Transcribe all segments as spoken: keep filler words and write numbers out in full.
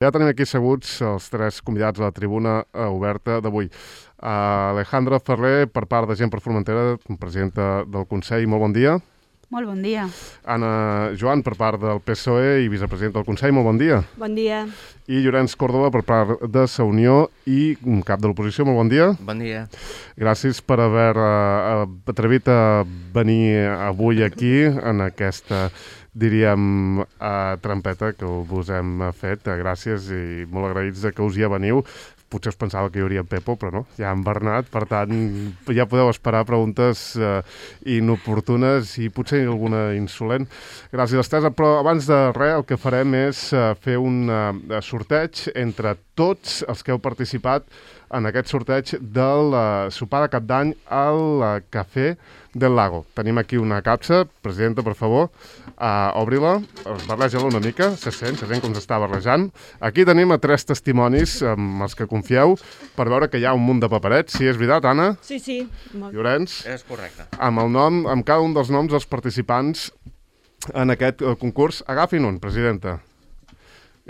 Ja tenim aquí asseguts els tres convidats a la tribuna oberta d'avui. Uh, Alejandra Ferrer, per part de Gent per Formentera, presidenta del Consell, molt bon dia. Molt bon dia. Anna Joan, per part del P S O E i vicepresidenta del Consell, molt bon dia. Bon dia. I Llorenç Córdoba, per part de Sa Unió i cap de l'oposició, molt bon dia. Bon dia. Gràcies per haver uh, atrevit a venir avui aquí en aquesta, diríem, uh, trampeta que us hem fet. Uh, gràcies i molt agraïts de que us hi veniu. Potser us pensava que hi hauria en Pepo, però no, hi ha en Bernat, per tant, ja podeu esperar preguntes eh, inoportunes i potser alguna insolent. Gràcies, Estesa, però abans de res el que farem és eh, fer un eh, sorteig entre tots els que heu participat en aquest sorteig del uh, sopar de cap d'any al uh, Cafè del Lago. Tenim aquí una capsa, presidenta, per favor, uh, obri-la, barreja-la una mica, se sent, se sent com s'està barrejant. Aquí tenim a tres testimonis amb els que confieu per veure que hi ha un munt de paperets. Sí, és veritat, Anna? Sí, sí. Molt... Llorenç? És correcte. Amb el nom, amb cada un dels noms dels participants en aquest uh, concurs. Agafin un, presidenta.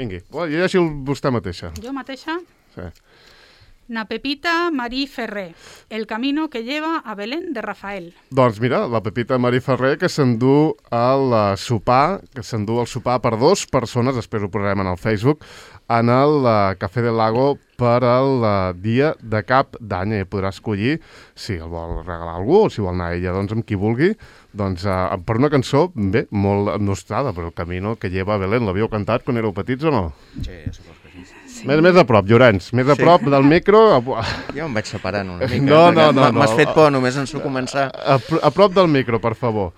Vingui, llegeixi vostè mateixa. Jo mateixa? Sí. Na Pepita Marí Ferrer, El camino que lleva a Belén de Rafael. Doncs mira, la Pepita Marí Ferrer que s'endú el sopar, que s'endú el sopar per dues persones, després ho posarem en el Facebook, en el uh, Cafè del Lago per al uh, dia de cap d'any. I podrà escollir si el vol regalar a algú o si vol anar a ella, doncs amb qui vulgui. Doncs uh, per una cançó, bé, molt nostrada, però El camino que lleva a Belén. L'havíeu cantat quan éreu petits o no? Sí, supos que sí. Sí. Més, més a prop, Llorenç, més a Sí. prop del micro. Jo em vaig separant una mica. No, no, no, no. M'has fet por només en su començar. A, a, a prop del micro, per favor.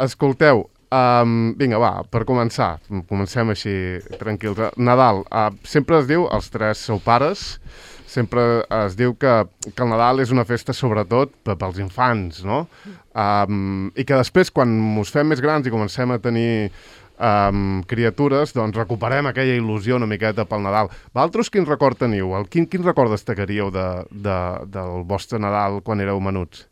Escolteu, um, vinga, va, per començar, comencem així tranquils. Nadal, uh, sempre es diu, els tres sou pares, sempre es diu que, que el Nadal és una festa sobretot pels infants, no? Um, I que després, quan us fem més grans i comencem a tenir um, criatures, doncs recuperem aquella il·lusió una miqueta pel Nadal. Vosaltres quin record teniu? El, quin, quin record destacaríeu de, de, del vostre Nadal quan éreu menuts?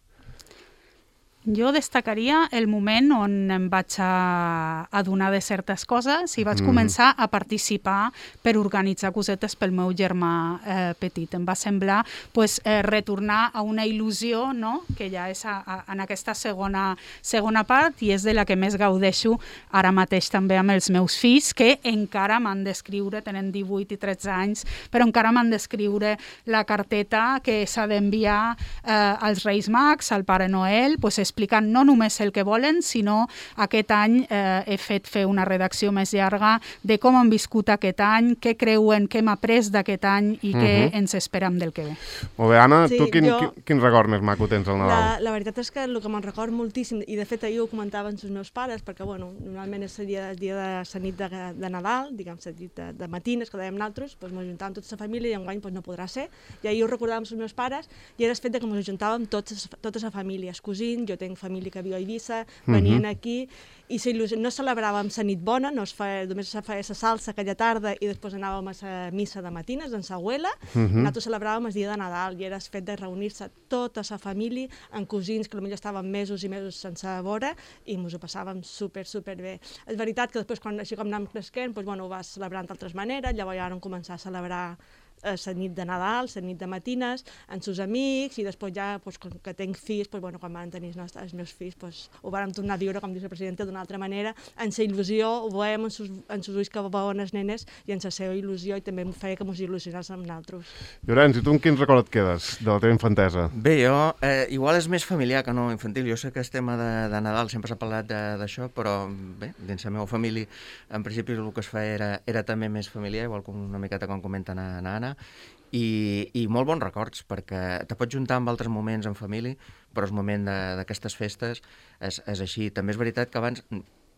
Jo destacaria el moment on em vaig a adonar de certes coses i vaig mm. començar a participar per organitzar cosetes pel meu germà eh, petit. Em va semblar pues, eh, retornar a una il·lusió, no? Que ja és a, a, en aquesta segona, segona part i és de la que més gaudeixo ara mateix també amb els meus fills, que encara m'han d'escriure, tenen divuit i tretze anys, però encara m'han d'escriure la carteta que s'ha d'enviar eh, als Reis Mags, al Pare Noel, pues, explicant no només el que volen, sinó aquest any eh, he fet fer una redacció més llarga de com han viscut aquest any, què creuen, què hem après d'aquest any i uh -huh. què ens esperam del que ve. Molt bé, Anna, sí, tu quin, jo... quin, quin record més maco tens al Nadal? La, la veritat és que el que me'n record moltíssim, i de fet ahir ho comentaven els meus pares, perquè bueno, normalment és el dia, el dia de la nit de, de Nadal, diguem, la nit de, de matines, que dèiem nosaltres, doncs ens ajuntàvem tota la família i enguany doncs, no podrà ser, i ahir ho recordàvem els meus pares, i era el fet de que ens ajuntàvem tots, tota la família, els cosins, jo tenc família que viu a Eivissa, venien uh -huh. aquí, i no celebràvem la nit bona, no es feia, només se feia la salsa aquella tarda i després anàvem a la missa de matines en sa abuela, uh -huh. nosaltres celebràvem el dia de Nadal i era el fet de reunir-se tota la família amb cosins que potser estàvem mesos i mesos sense veure i ens ho passàvem super, super bé. És veritat que després, quan, així com anàvem creixent, doncs, bueno, ho vas celebrant d'altres maneres, llavors ja vam començar a celebrar la nit de Nadal, la nit de matines, amb els amics, i després ja, doncs, com que tenc fills, doncs, bueno, quan van tenir els, els meus fills, doncs, ho vam tornar a viure, com diu la presidenta, d'una altra manera, en la il·lusió, ho veiem en els ulls que veuen els nenes, i en la seva il·lusió, i també em feia que ens il·lusionés amb nosaltres. Llorenç, i tu en quin record et quedes de la teva infantesa? Bé, jo, eh, igual és més familiar que no infantil. Jo sé que el tema de, de Nadal sempre s'ha parlat d'això, però bé, dins la meva família, en principi el que es feia era, era també més familiar, igual com una miqueta com comenta na, na Anna, I, i molt bons records, perquè te pots juntar amb altres moments en família, però el moment d'aquestes festes és, és així. També és veritat que abans,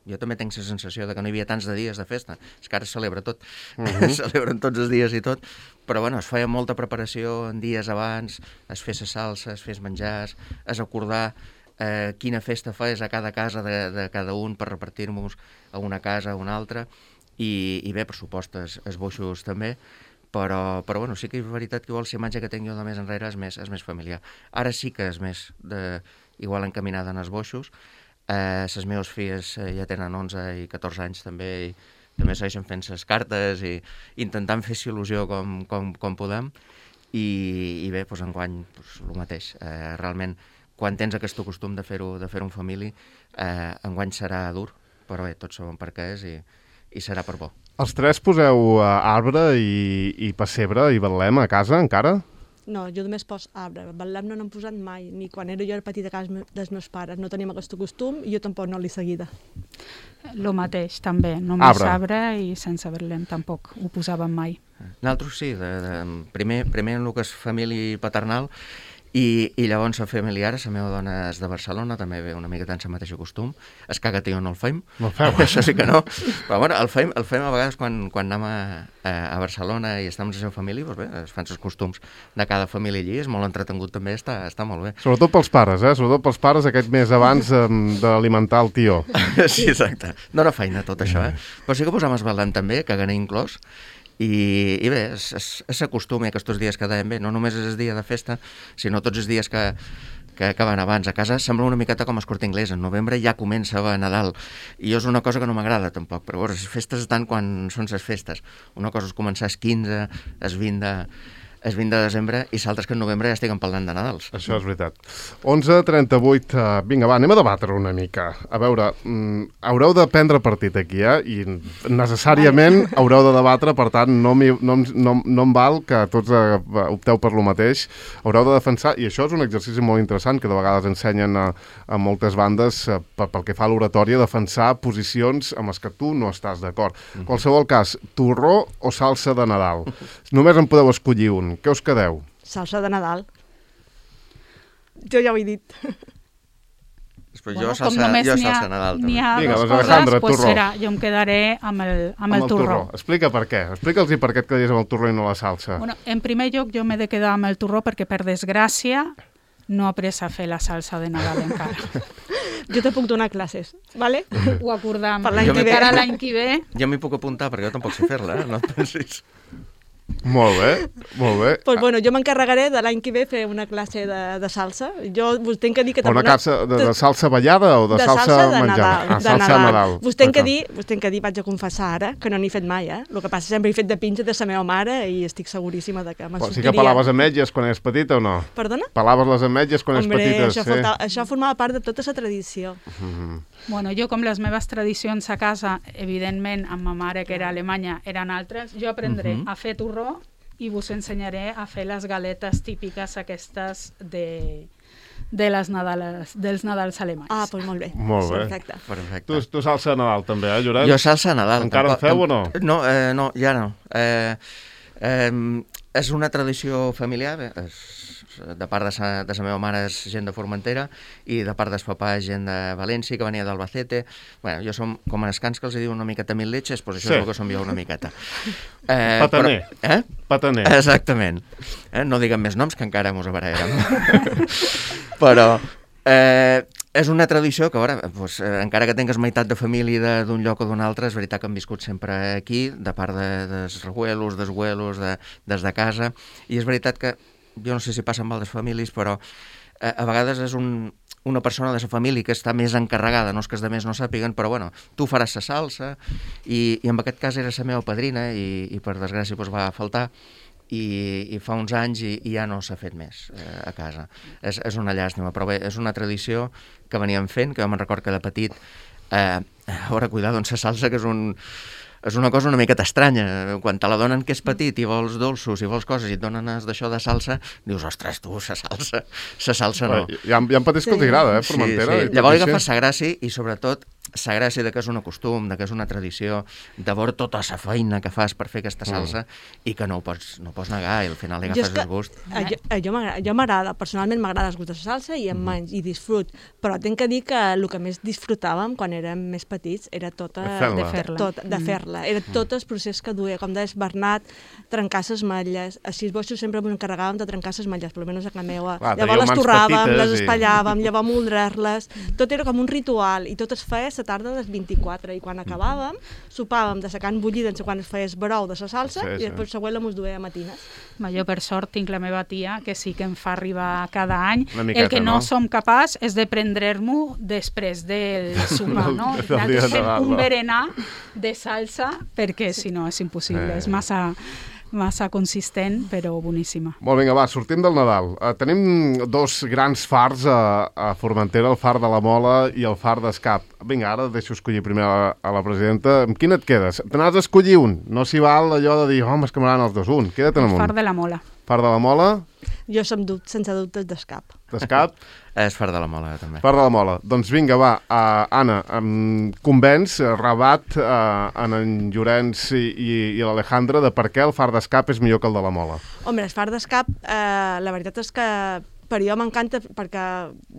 jo també tinc la sensació de que no hi havia tants de dies de festa, és que ara es celebra tot, uh -huh. es celebren tots els dies i tot, però bueno, es feia molta preparació en dies abans, es fes la salsa, es fes menjars, es acordar eh, quina festa fes a cada casa de, de cada un per repartir-nos a una casa a una altra, i, i bé, per supost, els esboixos també, Però, però bueno, sí que és veritat que igual la imatge que tinc jo de més enrere és més, és més familiar. Ara sí que és més de, igual encaminada en esboixos. Eh, les meves filles eh, ja tenen onze i catorze anys també, i també segueixen fent ses cartes i intentant fer-s'hi il·lusió com, com, com podem, i, i bé, doncs enguany doncs, el mateix. Eh, realment, quan tens aquest costum de fer-ho de fer-ho en família, eh, enguany serà dur, però bé, tots sabem per què és i, i serà per bo. Els tres poseu uh, arbre i, i pessebre i betlem a casa encara? No, jo només pos arbre. Betlem no n'hem posat mai, ni quan era jo petita a casa dels meus pares. No teníem aquest costum i jo tampoc no l'he seguida. Lo mateix, també. Només arbre, arbre i sense betlem tampoc ho posàvem mai. Nosaltres sí, de, de, primer, primer en el que és família paternal, I, i llavors la familiar, la meva dona és de Barcelona, també ve una mica tant el mateix costum. Es caga tio, no el feim. No el feu. Això sí que no. Però bueno, el feim, el feim a vegades quan, quan anem a, a Barcelona i estem amb la seva família, doncs bé, es fan els costums de cada família allí, és molt entretengut també, està, està molt bé. Sobretot pels pares, eh? Sobretot pels pares aquest mes abans eh, d'alimentar el tio. Sí, exacte. No era feina tot això, eh? Però sí que posam es ballant també, caganer inclòs. I, i bé, s'acostuma aquests dies que dèiem bé, no només és el dia de festa, sinó tots els dies que, que, que van abans a casa. Sembla una miqueta com el Corte Inglés, en novembre ja comença a Nadal, i és una cosa que no m'agrada tampoc, però bueno, les festes estan quan són les festes. Una cosa és començar el quinze, el vint de... és vint de desembre i s'altres que en novembre ja estiguen parlant de Nadals. Això és veritat. onze trenta-vuit, uh, vinga, va, anem a debatre una mica. A veure, mm, haureu de prendre partit aquí, eh? I necessàriament haureu de debatre, per tant, no, mi, no, no, no em val que tots uh, opteu per lo mateix. Haureu de defensar, i això és un exercici molt interessant, que de vegades ensenyen a, a moltes bandes, uh, pel, pel que fa a l'oratòria, defensar posicions amb les que tu no estàs d'acord. En qualsevol cas, torró o salsa de Nadal? Només en podeu escollir un. Què us quedeu? Salsa de Nadal. Jo ja ho he dit. Després bueno, jo salsa, jo salsa Nadal també. N'hi ha Vinga, dues doncs, Alejandra, coses, pues torró. serà, jo em quedaré amb el, amb Amb el, el torró. torró. Explica per què. Explica'ls per què et quedaries amb el torró i no la salsa. Bueno, en primer lloc, jo m'he de quedar amb el torró perquè, per desgràcia, no he après a fer la salsa de Nadal encara. Jo te puc donar classes, ¿vale? Ho acordam. Per l'any Jo que ve. encara l'any que ve. Jo m'hi puc apuntar perquè jo tampoc sé fer-la, eh? No et pensis. Molt bé, molt bé. Pues bueno, jo m'encarregaré de l'any que ve fer una classe de, de salsa. Jo vos tenc que dir que... Una classe de, de salsa ballada o de, de salsa, salsa de menjada? Nadal, Ah, de salsa Nadal. Nadal. Vos tenc, que D'acord. dir, vos tenc que dir, vaig a confessar ara, que no n'he fet mai, eh? El que passa sempre he fet de pinxa de la meva mare i estic seguríssima de que me'n Però sí sortiria. que pelaves ametlles quan eres petita o no? Perdona? Pelaves les ametlles quan eres Hombre, petita, això, sí. faltava, això formava part de tota la tradició. Mm. Bueno, jo, com les meves tradicions a casa, evidentment, amb ma mare, que era alemanya, eren altres, jo aprendré Mhm. a fer torró i vos ensenyaré a fer les galetes típiques aquestes de, de les Nadales, dels Nadals alemanys. Ah, doncs molt bé. Molt bé. Perfecte. Perfecte. Tu, tu salsa de Nadal també, eh, Lloret? Jo salsa Nadal. Encara en tampoc- feu o no? No, eh, no, ja no. Eh, eh, és una tradició familiar, eh, és, de part de sa, de sa meva mare és gent de Formentera i de part del papà és gent de València, que venia d'Albacete. Bueno, jo som com en escans que els diuen una miqueta mil letxes, doncs això Sí. és el que som jo una miqueta. Eh, Pataner. Però, eh? Pataner. Exactament. Eh? No diguem més noms, que encara mos abarallarem. Però eh, és una tradició que, a veure, doncs, eh, encara que tingues meitat de família d'un lloc o d'un altre, és veritat que hem viscut sempre aquí, de part de, dels rebuelos, dels abuelos, de, des de casa, i és veritat que, jo no sé si passa amb altres famílies, però eh, a vegades és un, una persona de la família que està més encarregada, no és que els altres no sàpiguen, però bueno, tu faràs la salsa, i, i en aquest cas era la meva padrina, i, i per desgràcia doncs, va faltar, i, i fa uns anys i, i ja no s'ha fet més eh, a casa. És, és una llàstima, però bé, és una tradició que veníem fent, que jo me'n record que de petit, eh, a veure, cuidado, doncs la salsa, que és un... és una cosa una miqueta estranya. Quan te la donen que és petit i vols dolços i vols coses i et donen d'això de salsa, dius, ostres, tu, sa salsa, sa salsa no. Hi ha, hi ha petits que els agrada, eh, Formentera. Sí, sí. Llavors agafes sa gràcia i sobretot sa gràcia de que és un costum, de que és una tradició, de veure tota la feina que fas per fer aquesta salsa mm. i que no ho pots, no ho pots negar i al final li agafes el gust. A, jo, a, jo m'agrada, jo m'agrada, personalment m'agrada el gust de la salsa i em mm. menys, i disfrut, però tinc que dir que el que més disfrutàvem quan érem més petits era tota, de fer-la. de fer-la, tot, de fer-la. Era tot el procés que duia, com deies Bernat, trencar les matlles, així boixos sempre ens encarregàvem de trencar les matlles, per almenys a casa meva. Clar, llavors les mans torràvem, petites les i- espatllàvem, llavors moldrar-les, tot era com un ritual i tot es feia la tarda del vint-i-quatre, i quan acabàvem, sopàvem de la carn bullida en quan es feies brou de la salsa, Sí, sí. i després següent la mos duia a matines. Ma, jo, per sort, tinc la meva tia, que sí que em fa arribar cada any. Una miqueta, El que no, no? som capaç és de prendre-m'ho després del sopar, Del- no? del dia Nosaltres de fem Nadal, un va. berenar de salsa, perquè si no és impossible, Eh. és massa, massa consistent, però boníssima. Molt, vinga, va, sortim del Nadal. Uh, tenim dos grans fars a, a Formentera, el far de la Mola i el far d'Escap. Vinga, ara deixo escollir primer a la, a la presidenta. Amb quin et quedes? Te n'has d'escollir un. No s'hi val allò de dir, home, és que m'agraden els dos. Un, queda't El amb far un. de la Mola. Far de la Mola, Jo som dubte, sense dubtes d'Escap. d'Escap, És far de la Mola, també. far de la Mola. Doncs vinga, va, uh, Anna, um, convenç, uh, rebat uh, en en Llorenç i, i, i l'Alejandra de per què el far d'Escap és millor que el de la Mola. Home, el far d'Escap, eh, la veritat és que per jo m'encanta, perquè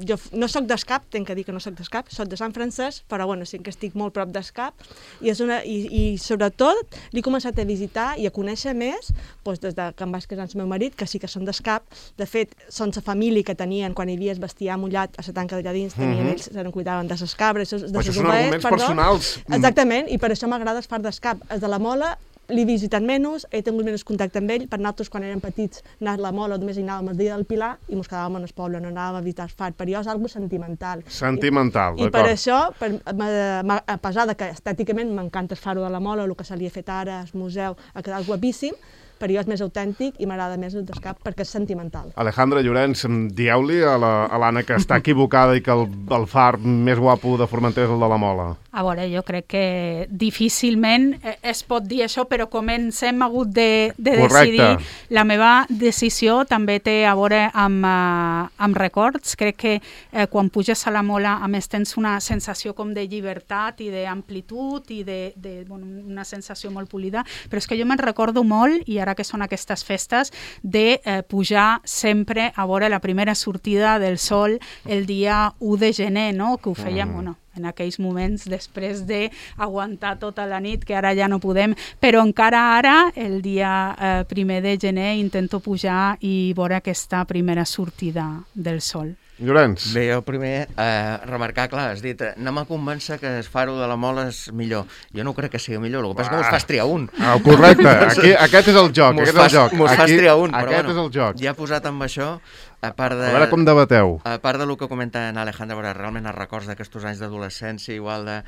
jo f- no sóc d'Escap, tenc que dir que no sóc d'Escap, sóc de Sant Francesc, però bueno, sí que estic molt prop d'Escap, i, és una, i, i sobretot l'he començat a visitar i a conèixer més doncs, des de que em vaig casar amb el meu marit, que sí que són d'Escap. De fet, són la família que tenien quan hi havia el bestiar mullat a la tanca d'allà dins, tenien, Mhm. ells se'n cuidaven de les cabres, de Però les això són ovelles, arguments perdó. personals. Exactament, i per això m'agrada el far d'Escap. El de la Mola l'he visitat menys, he tingut menys contacte amb ell. Per nosaltres, quan érem petits, anar a la Mola només hi anàvem el dia del Pilar i mos quedàvem en el poble, no anàvem a visitar el far. Per jo és algo sentimental. Sentimental, I, i per d'acord. això, per, m'ha- m'ha- a pesar de que estèticament m'encanta el faro de la Mola, el que se li ha fet ara, el museu, ha quedat guapíssim, per jo és més autèntic i m'agrada més el d'Escap perquè és sentimental. Alejandra Llorenç, em dieu-li a la- a l'Anna que està equivocada i que el, el far més guapo de Formentera és el de la Mola. A veure, jo crec que difícilment eh, es pot dir això, però com ens hem hagut de, de Correcte. decidir, la meva decisió també té a veure amb, uh, amb records. Crec que eh, quan puges a la Mola, a més, tens una sensació com de llibertat i d'amplitud i de, de bueno, una sensació molt polida, però és que jo me'n recordo molt, i ara que són aquestes festes, de eh, pujar sempre a veure la primera sortida del sol el dia u de gener, no? Que ho fèiem, Mm. bueno, en aquells moments, després d'aguantar tota la nit, que ara ja no podem, però encara ara, el dia eh, primer de gener, intento pujar i veure aquesta primera sortida del sol. Llorenç, Bé, jo primer eh, remarcar, clar, has dit, eh, no m'ha convèncer que el faro de la Mola és millor. Jo no crec que sigui millor, el que passa és que mos fas triar un. ah, correcte, aquí, aquest és el joc, Mos aquest fas, és el joc. mos fas Aquí- triar un, però Aquest bueno, és el joc. ja posat amb això, a part de... A veure com debateu. A part del que comenta en Alejandra, veure, realment els records d'aquests anys d'adolescència, igual de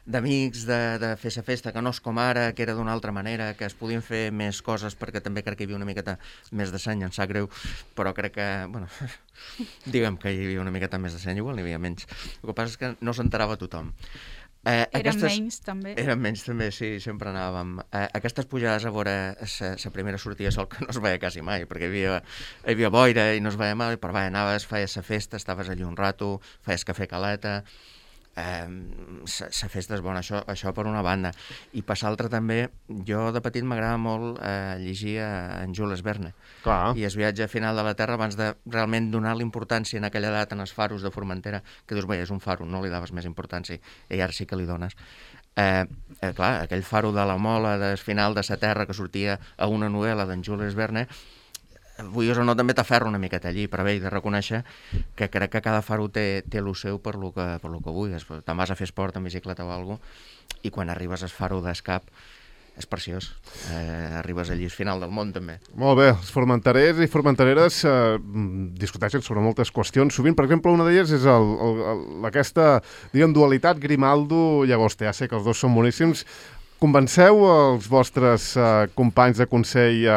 d'amics, de, de fer la festa, que no és com ara, que era d'una altra manera, que es podien fer més coses, perquè també crec que hi havia una miqueta més de seny, em sap greu, però crec que, bueno, diguem que hi havia una miqueta més de seny, igual n'hi havia menys. El que passa és que no s'enterava tothom. Eh, Eren menys, també. Eren menys, també, sí, sempre anàvem. Eh, aquestes pujades a veure la primera sortida de sol, que no es veia quasi mai, perquè hi havia, hi havia boira i no es veia mai, però va, anaves, feies la festa, estaves allí un rato, feies cafè caleta, eh, la festa és bona, això, això per una banda. I per l'altra també, jo de petit m'agrada molt eh, llegir a en Jules Verne, Clar. i el viatge final de la Terra, abans de realment donar l'importància en aquella edat en els faros de Formentera, que dius, bé, és un faro, no li daves més importància, i ara sí que li dones. Eh, eh, clar, aquell faro de la Mola, del final de la Terra, que sortia a una novel·la d'en Jules Verne, vulguis o no, també t'aferra una miqueta allí, però bé, he de reconèixer que crec que cada faro té, té el seu per lo que, per lo que vulguis. Te'n vas a fer esport en bicicleta o alguna cosa, i quan arribes al faro d'Escap és preciós. Eh, arribes allí al final del món, també. Molt bé, els formenterers i formentereres eh, discuteixen sobre moltes qüestions. Sovint, per exemple, una d'elles és el, el, el, aquesta, diguem, dualitat Grimaldo-Llagosta. Ja sé que els dos són boníssims. Convenceu els vostres eh, companys de consell eh,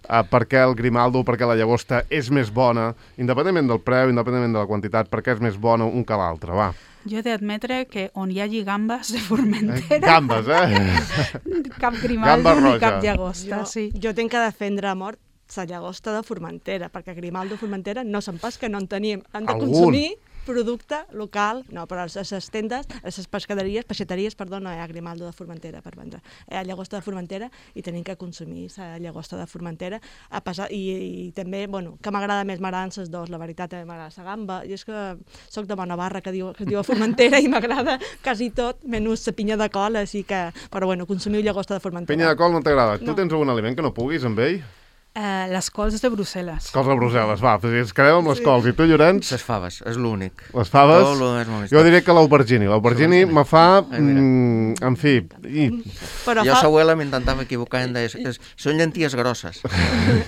eh, per què el Grimaldo o per què la Llagosta és més bona, independentment del preu, independentment de la quantitat, per què és més bona un que l'altre, va. Jo he d'admetre que on hi hagi gambes de Formentera, Gambes, eh? cap Grimaldo Gamba ni roja. cap llagosta, Jo, sí. jo tenc que defendre a mort la llagosta de Formentera, perquè Grimaldo Formentera no se'n pas que no en teníem. Hem de Algun. consumir producte local, no, però a les, a les tendes, a les pescaderies, peixateries, perdó, no hi ha Grimaldo de Formentera per vendre. Hi ha llagosta de Formentera i tenim que consumir la llagosta de Formentera. A pesar, i, i també, bueno, que m'agrada més, m'agraden les dos, la veritat, també m'agrada la gamba. Jo és que soc de bona barra, que, diu, que es diu a Formentera, i m'agrada quasi tot, menys la pinya de col, així que, però bueno, consumiu llagosta de Formentera. Penya de col no t'agrada. Tu No. tens algun aliment que no puguis amb ell? Eh, les cols de Brussel·les. Cols de Brussel·les, va, ens quedem amb les cols. I tu, Llorenç? Les faves, és l'únic. Les faves? Tot lo és molt Jo diria que l'aubergini. L'aubergini me fa... Ai, mira. Mm, en fi... I... Però Jo, fa... sa abuela, m'intentava equivocar i em deia, "És- són llenties grosses.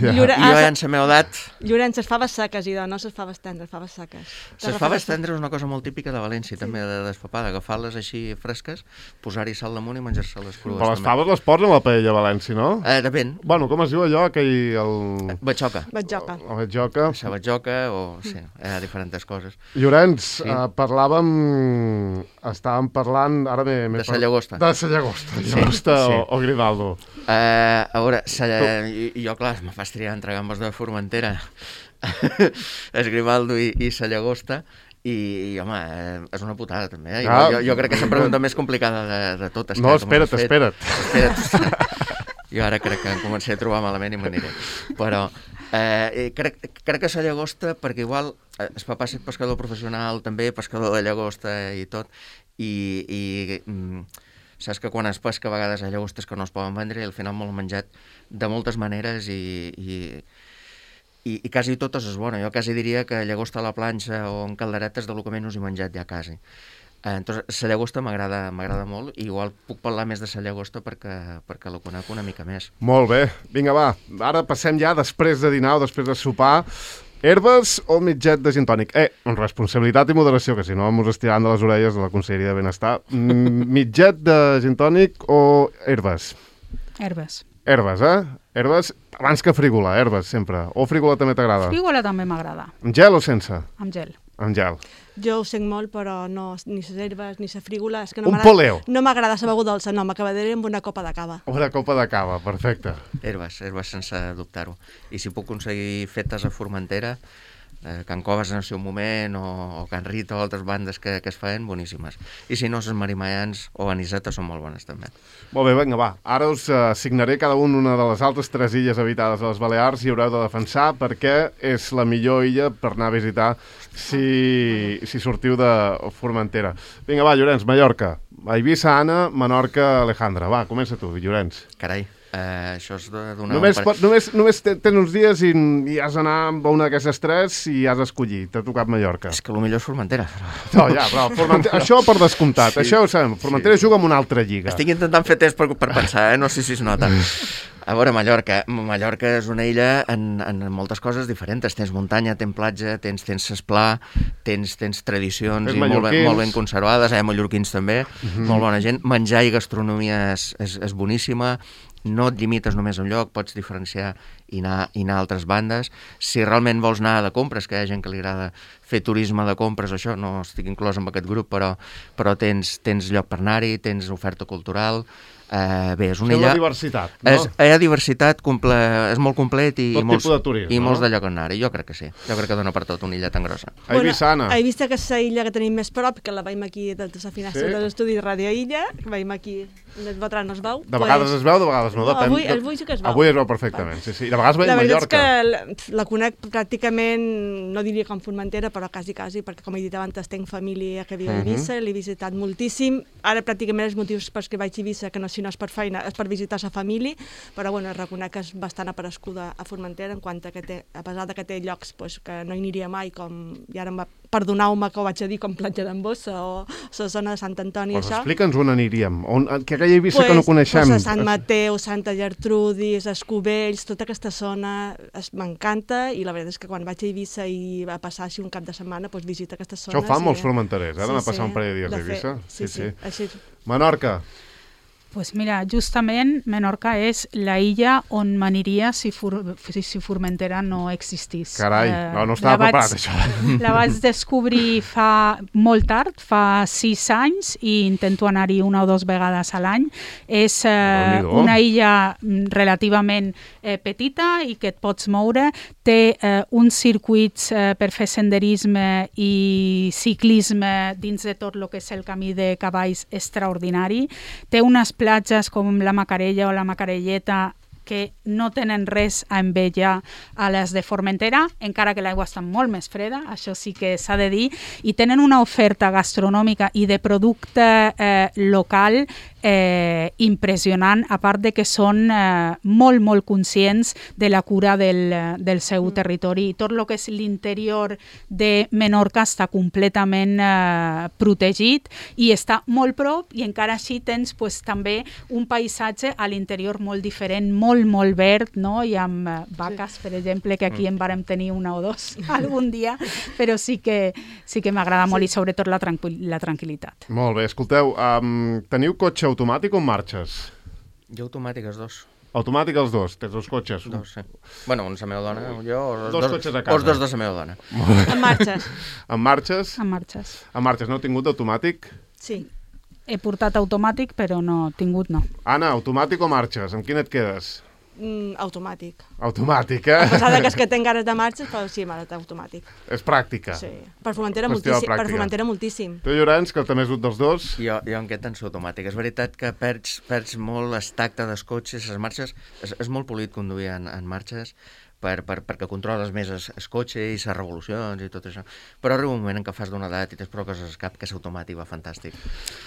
Llore... I jo ja ah, en la meva edat... Llorenç, les faves seques, i de no les faves tendres, faves seques. Les faves tendres és una cosa molt típica de València, també, de despapada, agafar-les així fresques, posar-hi sal damunt i menjar-se-les crues. Però les també. faves les posen a la paella a València, no? Eh, depèn. Bueno, com es diu allò? Aquell... El... Batxoca. Batjoca. La batjoca. La batxoca o... Sí, hi ha diferents coses. Llorenç, Sí. eh, parlàvem... Estàvem parlant... Ara m'he... m'he De per- sa llagosta. De sa llagosta. Llagosta sí. o, o Grimaldo. Uh, a veure, sa, i, i jo, clar, me fas triar entre gambes de Formentera, es Grimaldo i, i sa llagosta, i, i home, eh, és una putada també. Eh? Ah. Jo, jo crec que és la pregunta més complicada de, de totes. No, que- que m'has espera't, fet. espera't. Espera't. Jo ara crec que em començaré a trobar malament i m'aniré. Però eh, crec, crec que sa llagosta, perquè igual eh, el papà és pescador professional, també pescador de llagosta i tot, i, i mm, saps que quan es pesca a vegades hi ha llagostes que no es poden vendre i al final m'ho he menjat de moltes maneres i, i, i, i quasi totes és bona. Jo quasi diria que llagosta a la planxa o en calderetes de lo que menys he menjat ja quasi. Eh, entonces, la llagosta m'agrada m'agrada molt i igual puc parlar més de la llagosta perquè, perquè la conec una mica més. Molt bé. Vinga, va. Ara passem ja, després de dinar o després de sopar, herbes o mitget de gin tònic? Eh, amb responsabilitat i moderació, que si no mos estiran de les orelles de la Conselleria de Benestar. Mm, mitget de gin tònic o herbes? Herbes. Herbes, eh? Herbes, abans que frígola, herbes, sempre. O frígola també t'agrada? Frígola també m'agrada, Amb gel o sense? amb gel. Amb gel. Jo ho sent molt, però no, ni les herbes, ni la frígola... És que no Un m'agrada- poleo. No m'agrada la beguda dolça, no, m'acabaré amb una copa de cava. Una copa de cava, perfecte. Herbes, herbes sense dubtar-ho. I si puc aconseguir fetes a Formentera, eh, Can Coves en el seu moment, o, o Can Rita o altres bandes que, que es feien, boníssimes. I si no, les marimayans o anisetes són molt bones també. Molt bé, vinga, va. Ara us uh, assignaré cada un una de les altres tres illes habitades a les Balears i haureu de defensar perquè és la millor illa per anar a visitar si, si sortiu de Formentera. Vinga, va, Llorenç, Mallorca. Eivissa, Anna, Menorca, Alejandra. Va, comença tu, Llorenç. Carai, eh, això és de donar... Només, un pot, només, només te- tens uns dies i, i has d'anar amb una d'aquestes tres i has d'escollir. T'ha tocat Mallorca. És que el millor és Formentera. No, ja, però Formentera, això per descomptat. Sí. Això ho sabem. Formentera Sí. juga en una altra lliga. Estic intentant fer temps per, per pensar, eh? No sé si es nota. A veure, Mallorca. Mallorca és una illa en, en moltes coses diferents. Tens muntanya, tens platja, tens, tens esplà, tens, tens tradicions Tens i molt ben, mallorquins. molt ben conservades. Hi ha mallorquins també, Mhm. molt bona gent. Menjar i gastronomia és, és, és boníssima. No et limites només a un lloc, pots diferenciar i anar, i anar a altres bandes. Si realment vols anar de compres, que hi ha gent que li agrada fer turisme de compres, això no estic inclòs en aquest grup, però, però tens, tens lloc per anar-hi, tens oferta cultural. Eh, bé, és una Sembla illa... diversitat, no? És, hi ha diversitat, comple... és molt complet i, Tot i, molts, tipus de turisme, i molts no? de lloc on anar-hi. Jo crec que sí. Jo crec que dona per tot una illa tan grossa. A Eivissa, Anna. A Eivissa, que és la illa que tenim més prop, que la veiem aquí des de la finestra Sí. de l'estudi de Ràdio Illa, que veiem aquí, el vetrà no es veu. De vegades es veu, de vegades no, No, depèn. avui- avui sí que es veu. Avui es veu perfectament, sí, sí. I de vegades veiem La veritat Mallorca. és que la, la conec pràcticament, no diria com Formentera, però quasi, quasi, perquè com he dit abans, tenc família que viu a Eivissa, Mhm. l'he visitat moltíssim. Ara pràcticament els motius pels que vaig a Eivissa, que no, si no és per feina, és per visitar sa família, però bueno, reconec que és bastant aparescuda a Formentera, en quant a que té, a pesar de que té llocs pues, que no hi aniria mai, com, i ara em va- perdoneu-me que ho vaig a dir, com Platja d'en Bossa o la zona de Sant Antoni, Pues això. explica'ns on aniríem. On, que aquella Eivissa que no coneixem. Pues a Sant Mateu, Santa Gertrudis, Escovells, tota aquesta zona es- m'encanta, i la veritat és que quan vaig a Eivissa i va passar així un cap de setmana, pues visita aquestes zones. Això ho fan i- molts formenterers, eh? D'anar a passar un parell de dies a de fer- Eivissa. Sí, sí, sí. Així, Menorca. Pues mira, justament Menorca és la illa on m'aniria si, For si, si Formentera no existís. Carai, Eh, no, no estava la vaig- preparat, això. La vaig descobrir fa molt tard, fa sis anys, i intento anar-hi una o dues vegades a l'any. És eh, Déu-n'hi-do. una illa mm, relativament eh, petita i que et pots moure. Té eh, uns circuits eh, per fer senderisme i ciclisme dins de tot el que és el camí de cavalls extraordinari. Té unes platges com la Macarella o la Macarelleta que no tenen res a envejar a les de Formentera, encara que l'aigua està molt més freda, això sí que s'ha de dir, i tenen una oferta gastronòmica i de producte eh, local eh, impressionant, a part de que són eh, molt, molt conscients de la cura del, del seu mm. territori. I tot el que és l'interior de Menorca està completament eh, protegit i està molt prop, i encara així tens pues, també un paisatge a l'interior molt diferent, molt, molt verd, no? I amb eh, vaques, per exemple, que aquí en vàrem tenir una o dos algun dia, però sí que, sí que m'agrada molt i sobretot la, tranquil la tranquil·litat. Molt bé, escolteu, um, teniu cotxe automàtic o en marxes? Jo automàtic, els dos. Automàtic els dos? Tens dos cotxes? Dos, sí. Bueno, un la meva dona, jo, o els dos, dos cotxes a casa. O els dos de la meva dona. En marxes. En marxes? En marxes. En marxes, no heu tingut automàtic? Sí. He portat automàtic, però no, tingut no. Anna, automàtic o marxes? Amb quin et quedes? Mm, automàtic. Automàtic, eh? A pesar de que és que tinc ganes de marxes, però sí, m'ha estat automàtic. És pràctica. Sí. Per Formentera Qüestió de moltíssim. Per pràctica. Formentera moltíssim. Tu, Llorenç, que també has dut dels dos? Jo, jo em quedo en automàtic. És veritat que perds, perds molt el tacte dels cotxes, les marxes. És, és molt polit conduir en, en marxes, per, per, perquè controles més el, el cotxe i les revolucions i tot això. Però arriba un moment en què fas d'una edat i tens prou coses al cap que és automàtic, va fantàstic.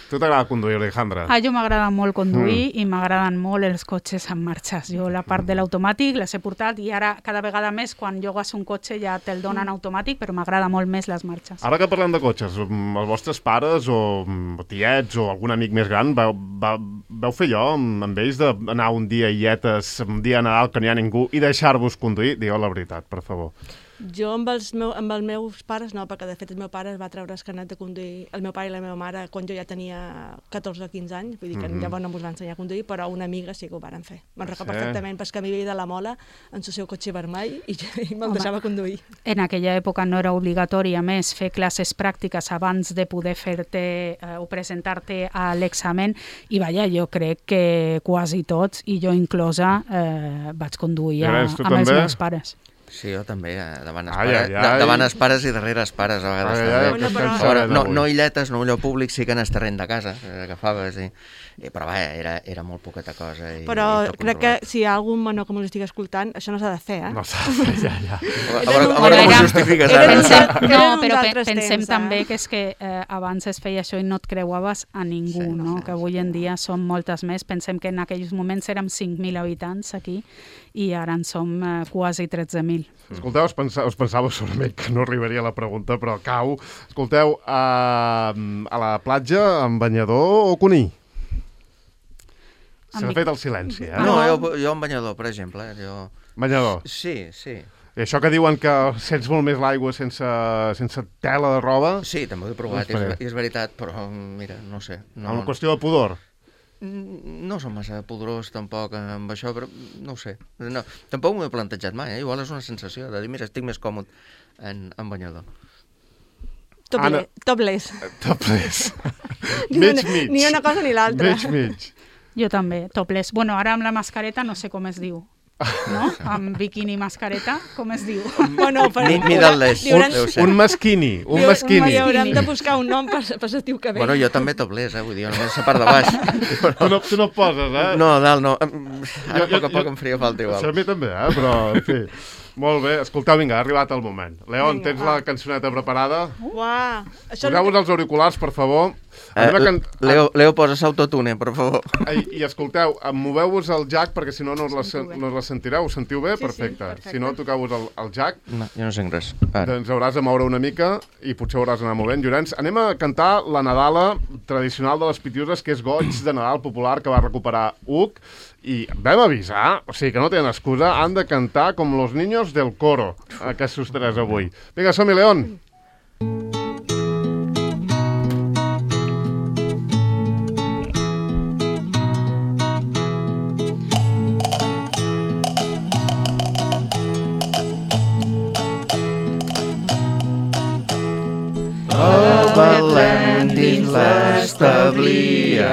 Tu t'agrada conduir, Alejandra? A jo m'agrada molt conduir mm. i m'agraden molt els cotxes en marxes. Jo la part de l'automàtic les he portat i ara cada vegada més quan llogues un cotxe ja te'l donen mm. automàtic, però m'agrada molt més les marxes. Ara que parlem de cotxes, els vostres pares o tiets o algun amic més gran vau, vau, vau fer allò amb ells d'anar un dia a Illetes, un dia a Nadal que no hi ha ningú i deixar-vos conduir? Digueu la veritat, per favor. Jo amb els, meu, amb els meus pares no, perquè de fet el meu pare es va treure el carnet de conduir, el meu pare i la meva mare, quan jo ja tenia catorze o quinze anys, vull dir que mm -hmm. llavors no ens va ensenyar a conduir, però una amiga sí que ho varen fer. Me'n recordo sí. perfectament, perquè a mi veia de la Mola en el seu cotxe vermell i, i me'l deixava conduir. En aquella època no era obligatori, a més, fer classes pràctiques abans de poder fer-te eh, o presentar-te a l'examen, i vaja, jo crec que quasi tots, i jo inclosa, eh, vaig conduir a, amb també? els meus pares. Sí, jo també, davant els ai, pares, ai, ai. davant els pares i darrere els pares, a vegades ai, també. ai, bueno, però... Veure, no, no illetes, no un lloc públic, sí que en el terreny de casa, agafaves, i, i, però vaja, era, era molt poqueta cosa. I, però i crec que si hi ha algun menor que m'ho estigui escoltant, això no s'ha de fer, eh? No s'ha de fer, ja, ja. A veure, a veure com ho justifiques ara. Pensem, no, Eren uns però pe altres pensem temps, eh? també que és que eh, abans es feia això i no et creuaves a ningú, Sí, no? sí, Que avui en dia som moltes més. Pensem que en aquells moments érem cinc mil habitants aquí i ara en som eh, quasi tretze mil. Escolteu, us, pensa, us pensava segurament que no arribaria la pregunta, però cau. Escolteu, a, a la platja, amb banyador o conill? S'ha Amb... fet el silenci, eh? No, jo, jo en banyador, per exemple. Jo... Banyador. Sí, sí. I això que diuen que sents molt més l'aigua sense, sense tela de roba... Sí, també ho he provat, i és, és veritat, però mira, no sé. No, Una qüestió de pudor. No som massa pudorós tampoc amb això, però no ho sé. No, tampoc m'ho he plantejat mai, eh? Igual és una sensació de dir, mira, estic més còmode en, en banyador. Topless. Topless. Topless. Ni, mig, una, mig. ni una cosa ni l'altra. Mig, mig. Jo també, topless. Bueno, ara amb la mascareta no sé com es diu. No? Amb biquini i mascareta, com es diu? Bueno, per... Mi, Middle-less, deu ser. Un masquini, un Diu, masquini. haurem de buscar un nom per, per l'estiu que ve. Bueno, jo també topless, eh? Vull dir, només la part de baix. Però... Tu, no, tu no poses, eh? No, dalt no. Ara a poc a poc em faria falta igual. Això a mi també, eh? Però, en fi... Molt bé. Escolteu, vinga, ha arribat el moment. León, tens la cançoneta preparada? Uau! Poseu-vos els auriculars, per favor. Eh, can... Leo, Leo, posa l'autotune, per favor. I, i escolteu, moveu-vos el jack, perquè si no no us la, no us la sentireu. Ho sentiu bé? Sí, perfecte. sí, perfecte. Si no, toqueu-vos el, el jack. No, jo no sent res. Ara. Doncs hauràs de moure una mica i potser hauràs d'anar movent. Llorenç, anem a cantar la Nadala tradicional de les Pitiuses, que és Goig de Nadal popular que va recuperar Uc. I vam avisar, o sigui que no tenen excusa, han de cantar com los niños del coro, aquests tres avui. Vinga, som-hi, León! A Belén dins l'establia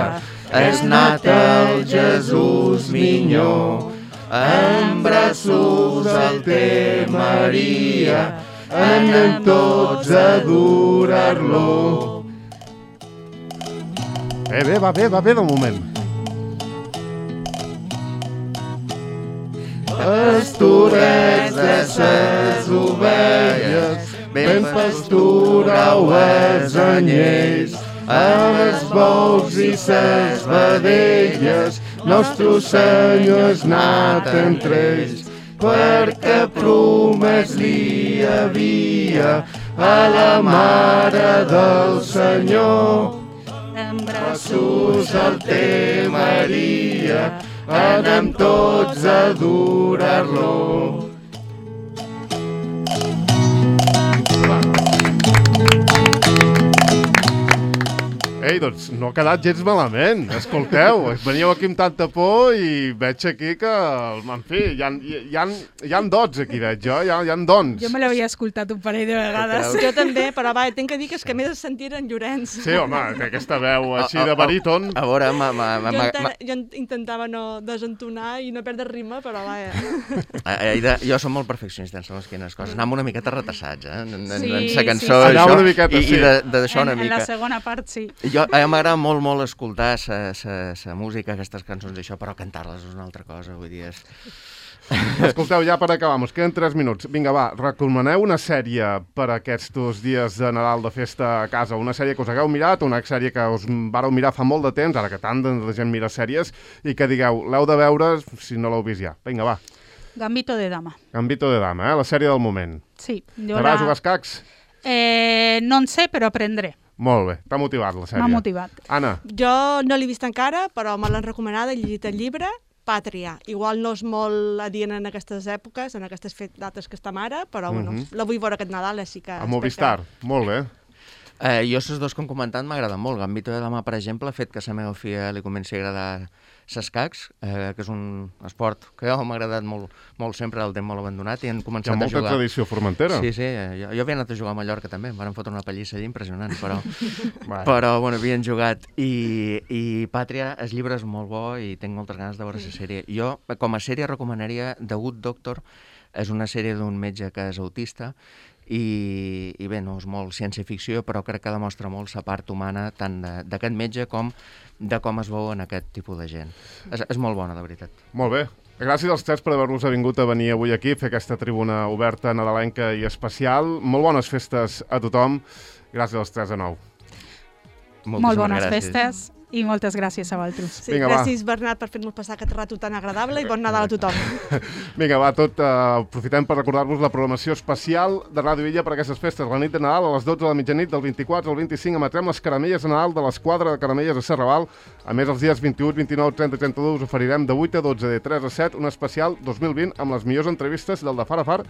és nat el Jesús minyó, en braços el té Maria, anem tots a adorar-lo. Bé, bé, va bé, va bé de moment. Pastorets de ses ovelles, ben pasturau els anyells, amb els bous i ses vedelles, nostre Senyor és nat entre ells, perquè promès li havia a la Mare del Senyor. En braços el té Maria, anem tots a adorar-lo. Ei, doncs no ha quedat gens malament, escolteu, veníeu aquí amb tanta por i veig aquí que, en fi, hi ha, hi ha, hi ha dots aquí, veig jo, hi ha, hi ha dons. Jo me l'havia escoltat un parell de vegades. Jo també, però va, tinc que dir que és que m'he de sentir en Llorenç. Sí, home, que aquesta veu així de baríton... A veure, ma, ma, ma, Jo, ma, enten, ma... jo intentava no desentonar i no perdre ritme, però va... Aida, jo som molt perfeccionista en segons quines coses. Anàvem una miqueta retassats, eh? En, en, Sí, en sa cançó, sí, sí. això, Anàvem una miqueta, i, sí. i de- d'això En, una en mica. la segona part, sí. Jo, a mi m'agrada molt, molt escoltar sa, sa, sa música, aquestes cançons i això, però cantar-les és una altra cosa, vull dir, és... Escolteu, ja per acabar, ens queden tres minuts. Vinga, va, recomaneu una sèrie per aquests dies de Nadal de festa a casa, una sèrie que us hagueu mirat, una sèrie que us vareu mirar fa molt de temps, ara que tant de gent mira sèries, i que digueu, l'heu de veure si no l'heu vist ja. Vinga, va. Gambito de dama. Gambito de dama, eh? La sèrie del moment. Sí. Jo T'agrada la... jugar a escacs? Eh, no en sé, però aprendré. Molt bé, t'ha motivat la sèrie. M'ha motivat. Anna, Jo no l'he vist encara, però me l'han recomanat, he llegit el llibre, Pàtria. Igual no és molt adient en aquestes èpoques, en aquestes fet- dates que estem ara, però bueno, Mhm. la vull veure aquest Nadal, així que... a espero Movistar. Molt bé. Eh, jo, els dos que hem comentat, m'agraden molt. Gambito de dama, per exemple, ha fet que a la meva filla li comenci a agradar s'escacs, eh, que és un esport que jo m'ha agradat molt, molt sempre, el temps molt abandonat, i han Hi començat ha a molta jugar. tradició formentera. Sí, sí, eh, jo, jo havia anat a jugar a Mallorca també, em van fotre una pallissa allà impressionant, però, Vai. però bueno, havien jugat. I, I Pàtria, el llibre és molt bo i tinc moltes ganes de veure la sèrie. Jo, com a sèrie, recomanaria The Good Doctor, és una sèrie d'un metge que és autista, i, i bé, no és molt ciència-ficció, però crec que demostra molt la part humana tant de- d'aquest metge com de com es veu en aquest tipus de gent. És, és molt bona, de veritat. Molt bé. Gràcies als tres per haver-vos vingut a venir avui aquí a fer aquesta tribuna oberta, nadalenca i especial. Molt bones festes a tothom. Gràcies als tres de nou. Moltíssimes Molt bones gràcies. festes i moltes gràcies a vosaltres. Sí, Vinga, va. gràcies, Bernat, per fer-nos passar aquest rato tan agradable i bon Nadal a tothom. Vinga, va, tot, uh, aprofitem per recordar-vos la programació especial de Ràdio Illa per aquestes festes. La nit de Nadal, a les dotze de la mitjanit, del vint-i-quatre al vint-i-cinc, emetrem les caramelles de Nadal de l'Esquadra de Caramelles a Serraval. A més, els dies vint-i-u, vint-i-nou, trenta i trenta-dos us oferirem de vuit a dotze, de tres a set, un especial dos mil vint amb les millors entrevistes del de Far a Far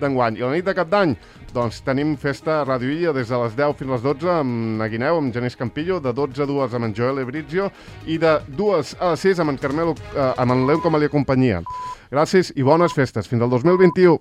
d'enguany. I a la nit de Cap d'Any, doncs, tenim festa a Ràdio Illa des de les deu fins a les dotze amb na Guineu, amb Genís Campillo, de dotze a dues amb en Joel Ebrizio i de dues a les sis amb en Carmelo, eh, amb en Leon Comalia Companyia. Gràcies i bones festes. Fins al dos mil vint-i-u.